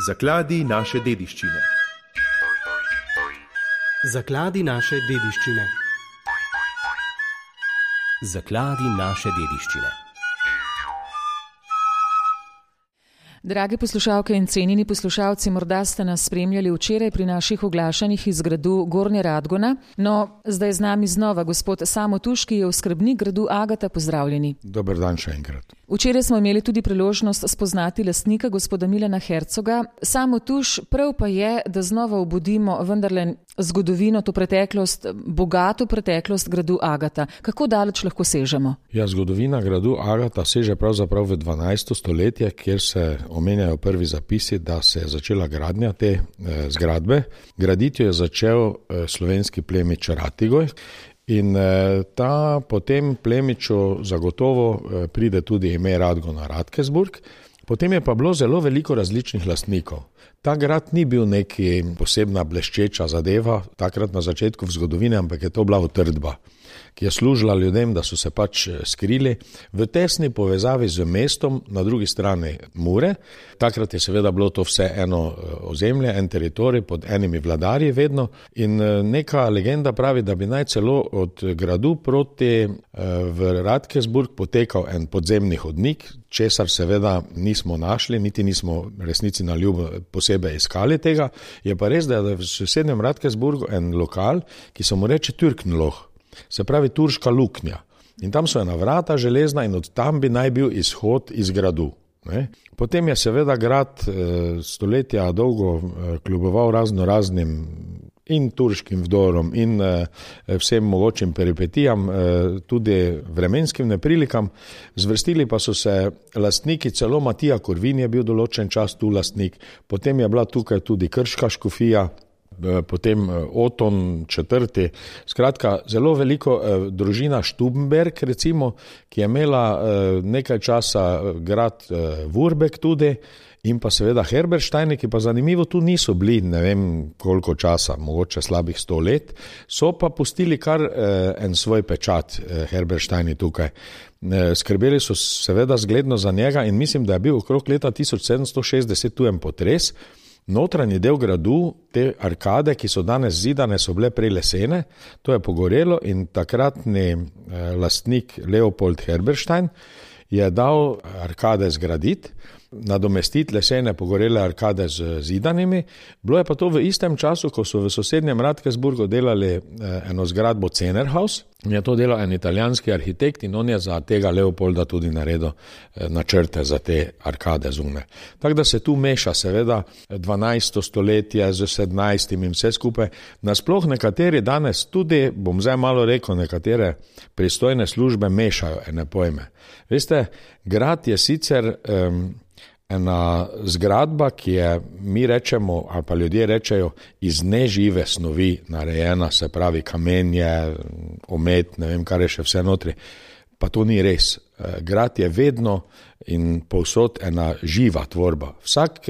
Zakladi naše dediščine. Zakladi naše dediščine. Zakladi naše dediščine. Drage poslušalke in cenjeni poslušalci, morda ste nas spremljali včeraj pri naših oglašanjih iz gradu Gornja Radgona. No, zdaj z nami znova gospod Samo Tuš, ki je oskrbnik gradu Agata. Pozdravljeni. Dober dan še enkrat. Včeraj smo imeli tudi priložnost spoznati lastnika, gospoda Milana Hercoga. Samo Tuš, prav pa je, da znova obudimo vendarle zgodovino, to preteklost, bogato preteklost gradu Agata. Kako daleč lahko sežemo? Ja, zgodovina gradu Agata seže pravzaprav v 12. stoletje, kjer se omenjajo prvi zapisi, da se je začela gradnja te zgradbe. Graditi jo je začel slovenski plemič Ratigoj. In po tem plemiču zagotovo pride tudi ime Radgona Radkersburg. Potem je pa bilo zelo veliko različnih lastnikov. Ta grad ni bil neki posebna bleščeča zadeva, takrat na začetku v zgodovini, ampak je to bila utrdba, ki je služila ljudem, da so se pač skrili v tesni povezavi z mestom na drugi strani Mure. Takrat je seveda bilo to vse eno ozemlje, en teritorij pod enimi vladarji vedno in neka legenda pravi, da bi naj celo od gradu proti v Radkersburg potekal en podzemni hodnik, česar seveda nismo našli, niti nismo resnici na ljubo posebej iskali tega. Je pa res, da je v sosednjem Radkersburgu en lokal, ki se mu reče Türkenloh. Se pravi turška luknja. In tam so ena vrata železna in od tam bi naj bil izhod iz gradu. Potem je seveda grad stoletja dolgo kljuboval raznim in turškim vdorom in vsem mogočim peripetijam, tudi vremenskim neprilikam. Zvrstili pa so se lastniki, celo Matija Korvin je bil določen čas tu lastnik, potem je bila tukaj tudi krška škofija, potem Oton IV. Skratka, zelo veliko družina Stubenberg, recimo, ki je imela nekaj časa grad Wurbek tudi, in pa seveda Herbersteini, ki pa zanimivo tu niso bili, ne vem koliko časa, mogoče slabih 100 let, so pa pustili kar en svoj pečat Herbersteini tukaj. Skrbeli so seveda zgledno za njega in mislim, da je bil okrog leta 1760 tu en potres. Notranji del gradu, te arkade, ki so danes zidane, so bile prej lesene, to je pogorelo in takratni lastnik Leopold Herberstein je dal arkade zgraditi, nadomestiti lesene pogorele arkade z zidanimi. Bilo je pa to v istem času, ko so v sosednjem Radkersburgu delali eno zgradbo Cenerhaus. Je to delal en italijanski arhitekt in on je za tega Leopolda tudi naredil načrte za te arkade zunaj. Tako da se tu meša seveda 12. stoletje z 17. in vse skupaj. Nasploh nekateri danes tudi, bom zdaj malo rekel, nekatere pristojne službe mešajo ene pojme. Veste, grad je sicer ena zgradba, ki je, mi rečemo, ali pa ljudje rečejo, iz nežive snovi narejena, se pravi kamenje, omet, ne vem, kar je še vse notri. Pa to ni res. Grad je vedno in povsod ena živa tvorba. Vsak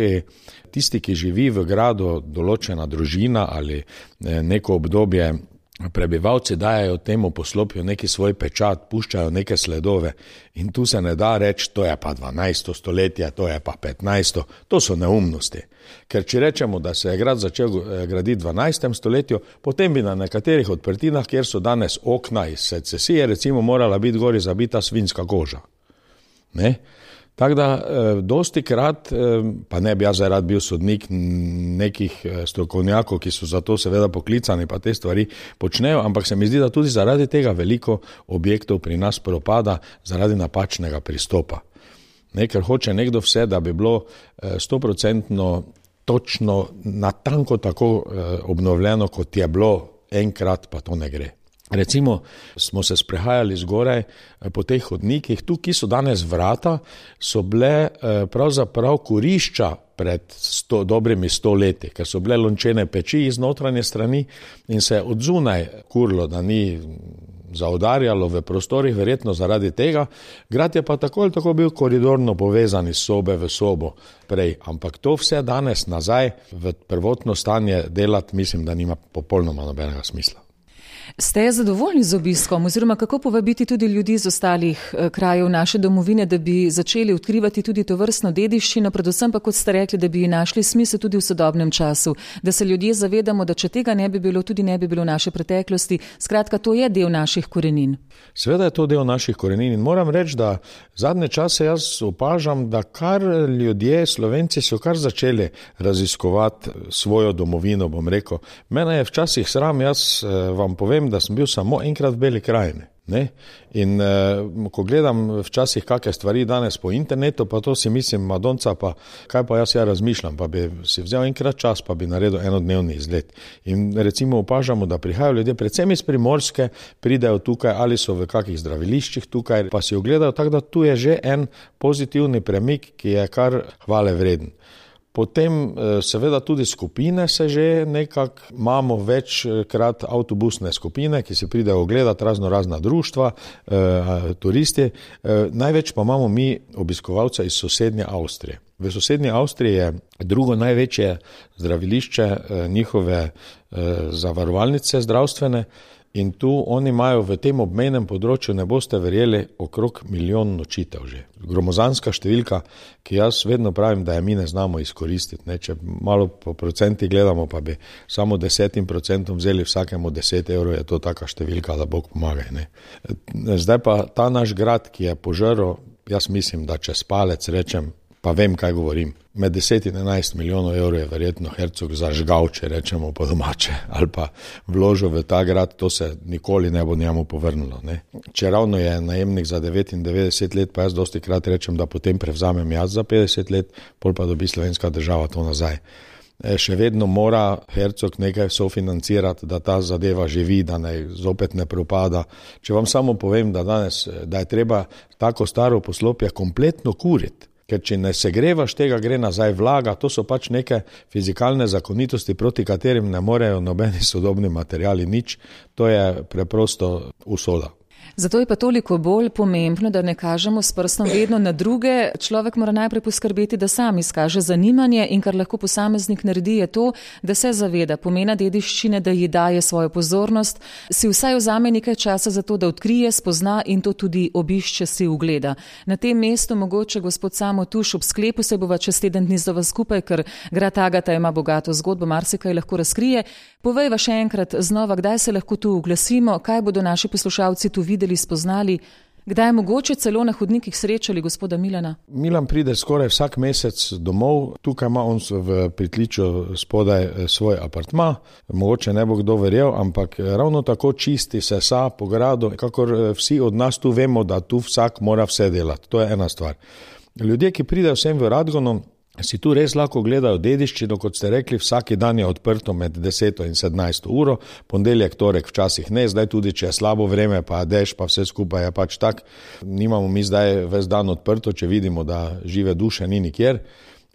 tisti, ki živi v gradu, določena družina ali neko obdobje, prebivalci dajajo temu poslopju neki svoj pečat, puščajo neke sledove in tu se ne da reči, to je pa 12. stoletje, to je pa 15. To so neumnosti. Ker če rečemo, da se je grad začel graditi v 12. stoletju, potem bi na nekaterih odprtinah, kjer so danes okna iz secesije, recimo morala biti gori zabita svinjska koža. Ne? Tako da dosti krat, pa ne bi jaz rad bil sodnik nekih strokovnjakov, ki so za to seveda poklicani, pa te stvari počnejo, ampak se mi zdi, da tudi zaradi tega veliko objektov pri nas propada zaradi napačnega pristopa. Ker hoče nekdo vse, da bi bilo 100% točno, natanko tako obnovljeno, kot je bilo enkrat, pa to ne gre. Recimo smo se sprehajali zgoraj po teh hodnikih, tu, ki so danes vrata, so bile pravzaprav kurišča pred dobrimi 100 leti, ker so bile lončene peči iz notranje strani in se od zunaj kurlo, da ni zaudarjalo v prostorih, verjetno zaradi tega. Grad je pa tako ali tako bil koridorno povezan iz sobe v sobo prej, ampak to vse danes nazaj v prvotno stanje delati, mislim, da nima popolnoma nobenega smisla. Ste zadovoljni z obiskom oziroma kako povabiti tudi ljudi iz ostalih krajev naše domovine, da bi začeli odkrivati tudi to vrstno dediščino, predvsem pa, kot ste rekli, da bi našli smisel tudi v sodobnem času, da se ljudje zavedamo, da če tega ne bi bilo, tudi ne bi bilo naše preteklosti. Skratka, to je del naših korenin. Seveda je to del naših korenin in moram reči, da zadnje čase jaz opažam, da kar ljudje, Slovenci so kar začeli raziskovati svojo domovino, bom rekel. Mene je včasih sram, jaz vam povem, da sem bil samo enkrat v Beli krajini. Ne? In ko gledam včasih kakšne stvari danes po internetu, pa to si mislim, madonca, pa kaj pa jaz razmišljam, pa bi si vzel enkrat čas, pa bi naredil enodnevni izlet. In recimo opažamo, da prihajajo ljudje, predvsem iz Primorske, pridejo tukaj ali so v kakih zdraviliščih tukaj, pa si ogledajo, tako da tu je že en pozitivni premik, ki je kar hvale vreden. Potem seveda tudi skupine se že nekako, imamo večkrat avtobusne skupine, ki se pridejo ogledati razna društva, turisti. Največ pa imamo mi obiskovalce iz sosednje Avstrije. V sosednji Avstriji je drugo največje zdravilišče njihove zavarovalnice zdravstvene in tu oni imajo v tem obmejnem področju, ne boste verjeli, okrog 1 milijon nočitev že. Gromozanska številka, ki jaz vedno pravim, da je mi ne znamo izkoristiti. Ne? Če malo po procenti gledamo, pa bi samo 10% vzeli vsakemu 10 evrov, je to taka številka, da Bog pomaga. Ne? Zdaj pa ta naš grad, ki je požrl, jaz mislim, da čez palec rečem, pa vem, kaj govorim. Med 10 in 11 milijonov evrov je verjetno Hercog zažgal, če rečemo po domače, ali pa vložil v ta grad, to se nikoli ne bo njemu povrnilo. Ne? Če ravno je najemnik za 99 let, pa jaz dosti krat rečem, da potem prevzamem jaz za 50 let, pol pa dobi slovenska država to nazaj. Še vedno mora Hercog nekaj sofinancirati, da ta zadeva živi, da zopet ne propada. Če vam samo povem, da danes, da je treba tako staro poslopje kompletno kuriti, ker če ne segrevaš tega, gre nazaj vlaga, to so pač neke fizikalne zakonitosti, proti katerim ne morejo nobeni sodobni materiali nič, to je preprosto usoda. Zato je pa toliko bolj pomembno, da ne kažemo s prstom vedno na druge. Človek mora najprej poskrbeti, da sam izkaže zanimanje in kar lahko posameznik naredi je to, da se zaveda pomena dediščine, da ji daje svojo pozornost, si vsaj vzame nekaj časa za to, da odkrije, spozna in to tudi obišče, si ugleda. Na tem mestu mogoče gospod Samo Tuš, ob sklepu se bova čez teden dni zova skupaj, ker grad Agata ima bogato zgodbo, marsikaj lahko razkrije. Povejva še enkrat znova, kdaj se lahko tu oglasimo, kaj bodo naši poslušalci tu videli, spoznali, kdaj je mogoče celo na hodnikih srečali gospoda Milana? Milan pride skoraj vsak mesec domov, tukaj ima on v pritličju spodaj svoj apartma, mogoče ne bo kdo verjel, ampak ravno tako čisti se sa po gradu, kakor vsi od nas tu vemo, da tu vsak mora vse delati, to je ena stvar. Ljudje, ki pridejo vsem v Radgonu, si tu res lahko gledajo dediščino, kot ste rekli, vsaki dan je odprto med 10 in 17 uro, ponedeljek, torek včasih ne, zdaj tudi, če je slabo vreme, pa dež, pa vse skupaj je pač tak. Nimamo mi zdaj ves dan odprto, če vidimo, da žive duše ni nikjer.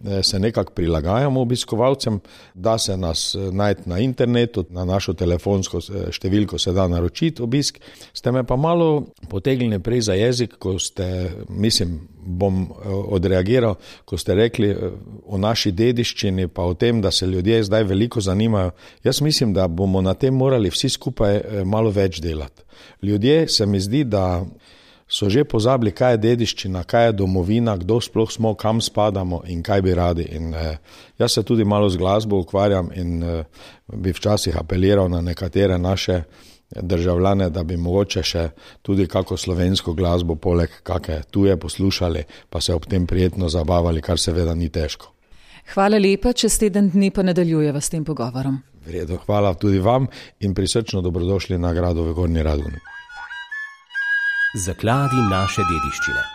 Se nekako prilagajamo obiskovalcem, da se nas najti na internetu, na našo telefonsko številko se da naročiti obisk. Ste me pa malo potegnili prej za jezik, ko ste, mislim, bom odreagiral, ko ste rekli o naši dediščini, pa o tem, da se ljudje zdaj veliko zanimajo. Jaz mislim, da bomo na tem morali vsi skupaj malo več delati. Ljudje se mi zdi, da so že pozabili, kaj je dediščina, kaj je domovina, kdo sploh smo, kam spadamo in kaj bi radi. In jaz se tudi malo z glasbo ukvarjam in bi včasih apeliral na nekatere naše državljane, da bi mogoče še tudi kako slovensko glasbo poleg kakšne tuje poslušali, pa se ob tem prijetno zabavali, kar seveda ni težko. Hvala lepa, čez teden dni pa nadaljujeva s tem pogovorom. V redu, hvala tudi vam in prisrčno dobrodošli na gradu v Gornji Radgoni. Zakladi naše dediščine.